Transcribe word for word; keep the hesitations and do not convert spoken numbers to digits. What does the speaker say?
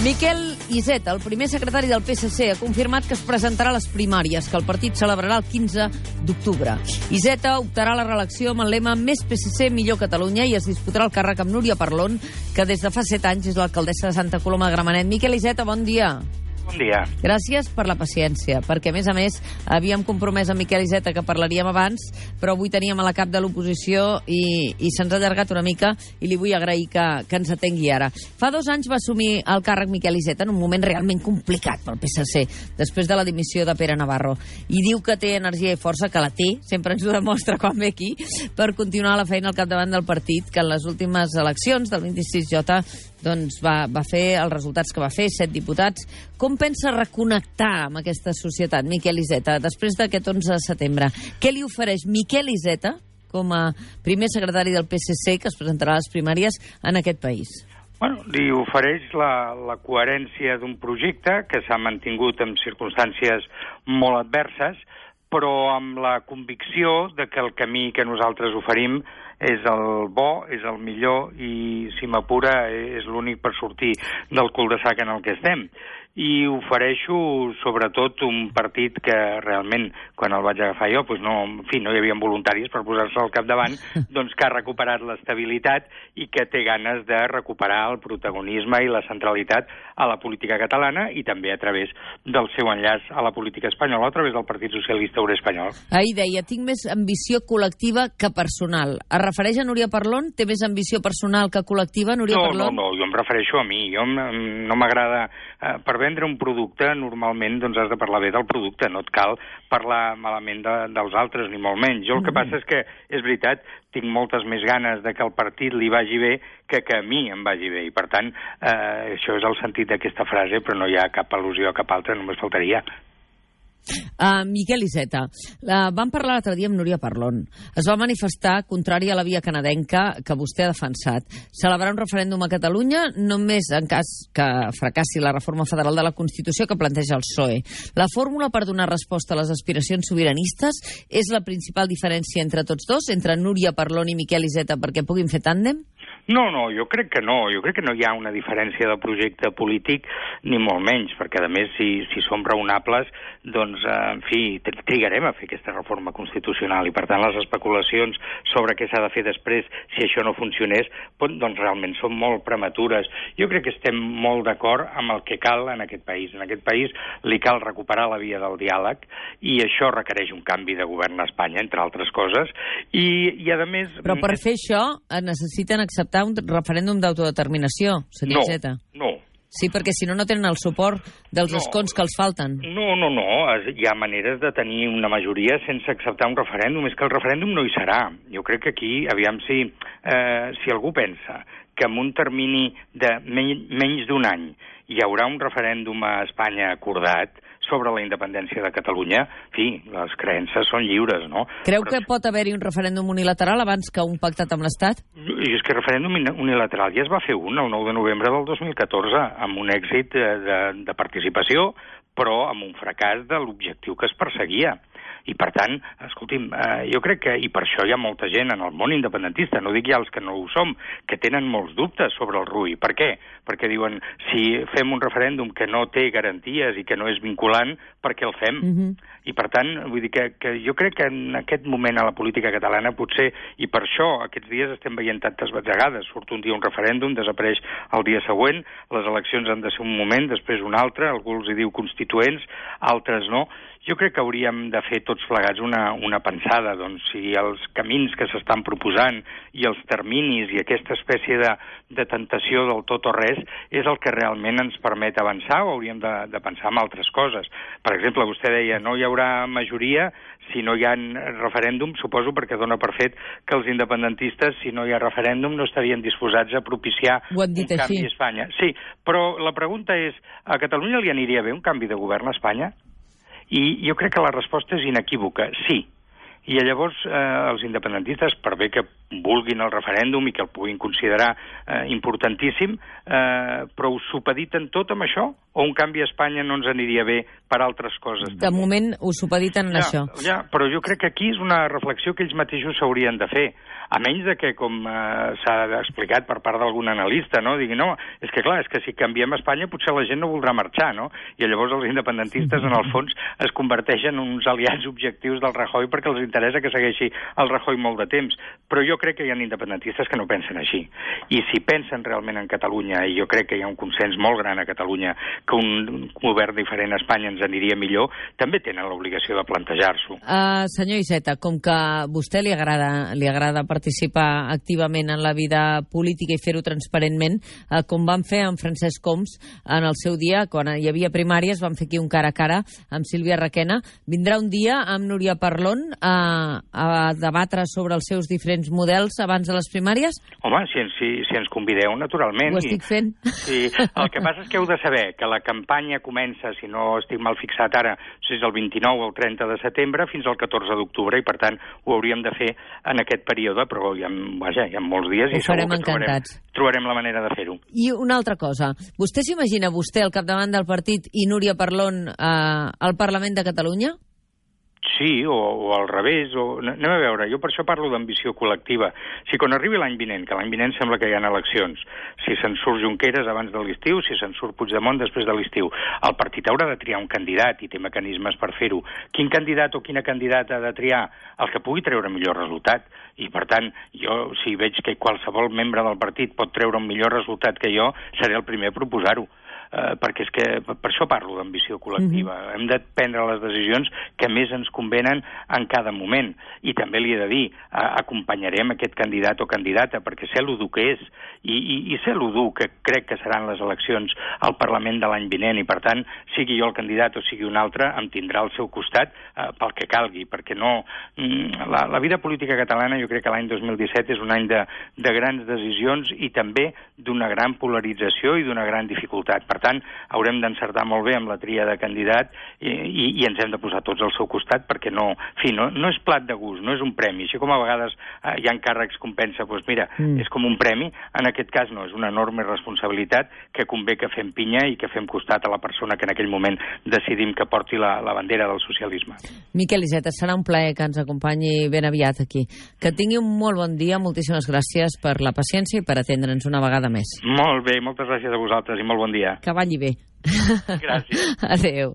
Miquel Iceta, el primer secretari del P S C, ha confirmat que es presentarà a les primàries, que el partit celebrarà el quinze d'octubre. Iceta optarà a la reelecció amb el lema Més P S C, millor Catalunya, i es disputarà el càrrec amb Núria Parlon, que des de fa set anys és l'alcaldessa de Santa Coloma de Gramenet. Miquel Iceta, bon dia. Bon dia. Gràcies per la paciència, perquè, a més a més, havíem compromès a Miquel Iceta que parlaríem abans, però avui teníem a la cap de l'oposició i, i se'ns ha allargat una mica i li vull agrair que, que ens atengui ara. Fa dos anys va assumir el càrrec Miquel Iceta en un moment realment complicat pel P S C, després de la dimissió de Pere Navarro. I diu que té energia i força, que la té, sempre ens ho demostra quan ve aquí, per continuar la feina al capdavant del partit, que en les últimes eleccions del vint-i-sis J doncs va, va fer els resultats que va fer, set diputats. Com pensa reconnectar amb aquesta societat, Miquel Iceta, després d'aquest onze de setembre? Què li ofereix Miquel Iceta com a primer secretari del P S C que es presentarà a les primàries en aquest país? Bueno, li ofereix la, la coherència d'un projecte que s'ha mantingut en circumstàncies molt adverses, però amb la convicció de que el camí que nosaltres oferim és el bo, és el millor i, si m'apura, és l'únic per sortir del cul-de-sac en el que estem. I ofereixo, sobretot, un partit que realment, quan el vaig agafar jo, doncs no, en fi, no hi havia voluntaris per posar-se al capdavant, doncs que ha recuperat l'estabilitat i que té ganes de recuperar el protagonisme i la centralitat a la política catalana i també a través del seu enllaç a la política espanyola, a través del Partit Socialista Obrer Espanyol. Ahir deia, tinc més ambició col·lectiva que personal. Es refereix a Núria Parlon? Té més ambició personal que col·lectiva, Núria no, Parlon? No, no, jo em refereixo a mi. Jo no m'agrada... Eh, per vendre un producte, normalment doncs has de parlar bé del producte, no et cal parlar malament de, dels altres, ni molt menys. Jo el que passa és que, és veritat, tinc moltes més ganes de que el partit li vagi bé que que a mi em vagi bé, i per tant, eh, això és el sentit d'aquesta frase, però no hi ha cap al·lusió a cap altra, només faltaria. Uh, Miquel Iceta, uh, vam parlar l'altre dia amb Núria Parlon. Es va manifestar contrària a la via canadenca que vostè ha defensat. Celebrar un referèndum a Catalunya només en cas que fracassi la reforma federal de la Constitució que planteja el P S O E. La fórmula per donar resposta a les aspiracions sobiranistes és la principal diferència entre tots dos, entre Núria Parlon i Miquel Iceta, perquè puguin fer tàndem? No, no, jo crec que no. Jo crec que no hi ha una diferència de projecte polític, ni molt menys, perquè, a més, si, si som raonables, doncs, eh, en fi, trigarem a fer aquesta reforma constitucional, i, per tant, les especulacions sobre què s'ha de fer després, si això no funcionés, doncs, realment són molt prematures. Jo crec que estem molt d'acord amb el que cal en aquest país. En aquest país li cal recuperar la via del diàleg, i això requereix un canvi de govern a Espanya, entre altres coses, i, i a més... Però per fer això necessiten acceptar un referèndum d'autodeterminació, senyor Iceta. No, no. Sí, perquè si no, no tenen el suport dels no, escons que els falten. No, no, no. Hi ha maneres de tenir una majoria sense acceptar un referèndum. És que el referèndum no hi serà. Jo crec que aquí, aviam si, eh, si algú pensa que en un termini de men menys d'un any hi haurà un referèndum a Espanya acordat sobre la independència de Catalunya, en fi, les creences són lliures, no? Creu Però... que pot haver-hi un referèndum unilateral abans que un pactat amb l'Estat? I és que referèndum unilateral ja es va fer un el nou de novembre del dos mil catorze, amb un èxit de, de, de participació, però amb un fracàs de l'objectiu que es perseguia. I, per tant, escolti'm, eh, jo crec que, i per això hi ha molta gent en el món independentista, no dic ja els que no ho som, que tenen molts dubtes sobre el R U I. Per què? Perquè diuen, si fem un referèndum que no té garanties i que no és vinculant, per què el fem? Uh-huh. I, per tant, vull dir que, que jo crec que en aquest moment a la política catalana potser, i per això aquests dies estem veient tantes batzegades, surt un dia un referèndum, desapareix el dia següent, les eleccions han de ser un moment, després un altre, algú els hi diu constituents, altres no. Jo crec que hauríem de fer tots plegats una, una pensada, doncs, si els camins que s'estan proposant i els terminis i aquesta espècie de, de tentació del tot o res és el que realment ens permet avançar, o hauríem de, de pensar en altres coses. Per exemple, vostè deia, no hi haurà majoria si no hi ha referèndum, suposo perquè dona per fet que els independentistes, si no hi ha referèndum, no estarien disposats a propiciar un canvi a Espanya. Sí, però la pregunta és, a Catalunya li aniria bé un canvi de govern a Espanya? I jo crec que la resposta és inequívoca, sí. I llavors eh, els independentistes, per bé que vulguin el referèndum i que el puguin considerar eh, importantíssim, eh, però ho supediten tot amb això? O un canvi a Espanya no ens aniria bé per altres coses? De moment ho supediten en ja, això. Ja, però jo crec que aquí és una reflexió que ells mateixos s'haurien de fer. A menys de que, com eh, s'ha explicat per part d'algun analista, no? Digui, no, és que clar, és que si canviem Espanya potser la gent no voldrà marxar, no? I llavors els independentistes, en el fons, es converteixen en uns aliats objectius del Rajoy perquè els interessa que segueixi el Rajoy molt de temps. Però jo crec que hi ha independentistes que no pensen així. I si pensen realment en Catalunya, i jo crec que hi ha un consens molt gran a Catalunya, que un govern diferent a Espanya ens aniria millor, també tenen l'obligació de plantejar-s'ho. Uh, senyor Iceta, com que a vostè li agrada, li agrada participar activament en la vida política i fer-ho transparentment, uh, com van fer amb Francesc Homs en el seu dia, quan hi havia primàries, van fer aquí un cara a cara amb Sílvia Requena. Vindrà un dia amb Núria Parlon a, a debatre sobre els seus diferents models abans de les primàries? Home, si, si, si ens convideu, naturalment. Ho estic fent. Sí, el que passa és que heu de saber que la campanya comença, si no estic mal fixat ara, si és el vint-i-nou o el trenta de setembre, fins al catorze d'octubre, i per tant ho hauríem de fer en aquest període, però hi ha, vaja, hi ha molts dies ho i segur que trobarem, trobarem la manera de fer-ho. I una altra cosa, vostè s'imagina vostè al capdavant del partit i Núria Parlon eh, al Parlament de Catalunya? Sí, o, o al revés. O... Anem a veure, jo per això parlo d'ambició col·lectiva. Si quan arribi l'any vinent, que l'any vinent sembla que hi ha eleccions, si se'n surt Junqueras abans de l'estiu, si se'n surt Puigdemont després de l'estiu, el partit haurà de triar un candidat i té mecanismes per fer-ho. Quin candidat o quina candidata ha de triar? El que pugui treure millor resultat. I, per tant, jo, si veig que qualsevol membre del partit pot treure un millor resultat que jo, seré el primer a proposar-ho. Uh, perquè és que per això parlo d'ambició col·lectiva. Mm-hmm. Hem de prendre les decisions que més ens convenen en cada moment. I també li he de dir, uh, acompanyarem aquest candidat o candidata, perquè sé l'udur que és, i, i, i sé l'udur que crec que seran les eleccions al Parlament de l'any vinent, i per tant, sigui jo el candidat o sigui un altre, em tindrà al seu costat uh, pel que calgui, perquè no... Mm, la, la vida política catalana, jo crec que l'any dos mil disset és un any de, de grans decisions i també d'una gran polarització i d'una gran dificultat. Per tant, haurem d'encertar molt bé amb la tria de candidat i, i, i ens hem de posar tots al seu costat perquè no, en fi, no, no és plat de gust, no és un premi. Així com a vegades eh, hi ha càrrecs com pensa, doncs mira, mm. és com un premi, en aquest cas no, és una enorme responsabilitat que convé que fem pinya i que fem costat a la persona que en aquell moment decidim que porti la, la bandera del socialisme. Miquel Iceta, serà un plaer que ens acompanyi ben aviat aquí. Que tingui un molt bon dia, moltíssimes gràcies per la paciència i per atendre'ns una vegada més. Molt bé, moltes gràcies a vosaltres i molt bon dia. Que balli bé. Gràcies. Adéu.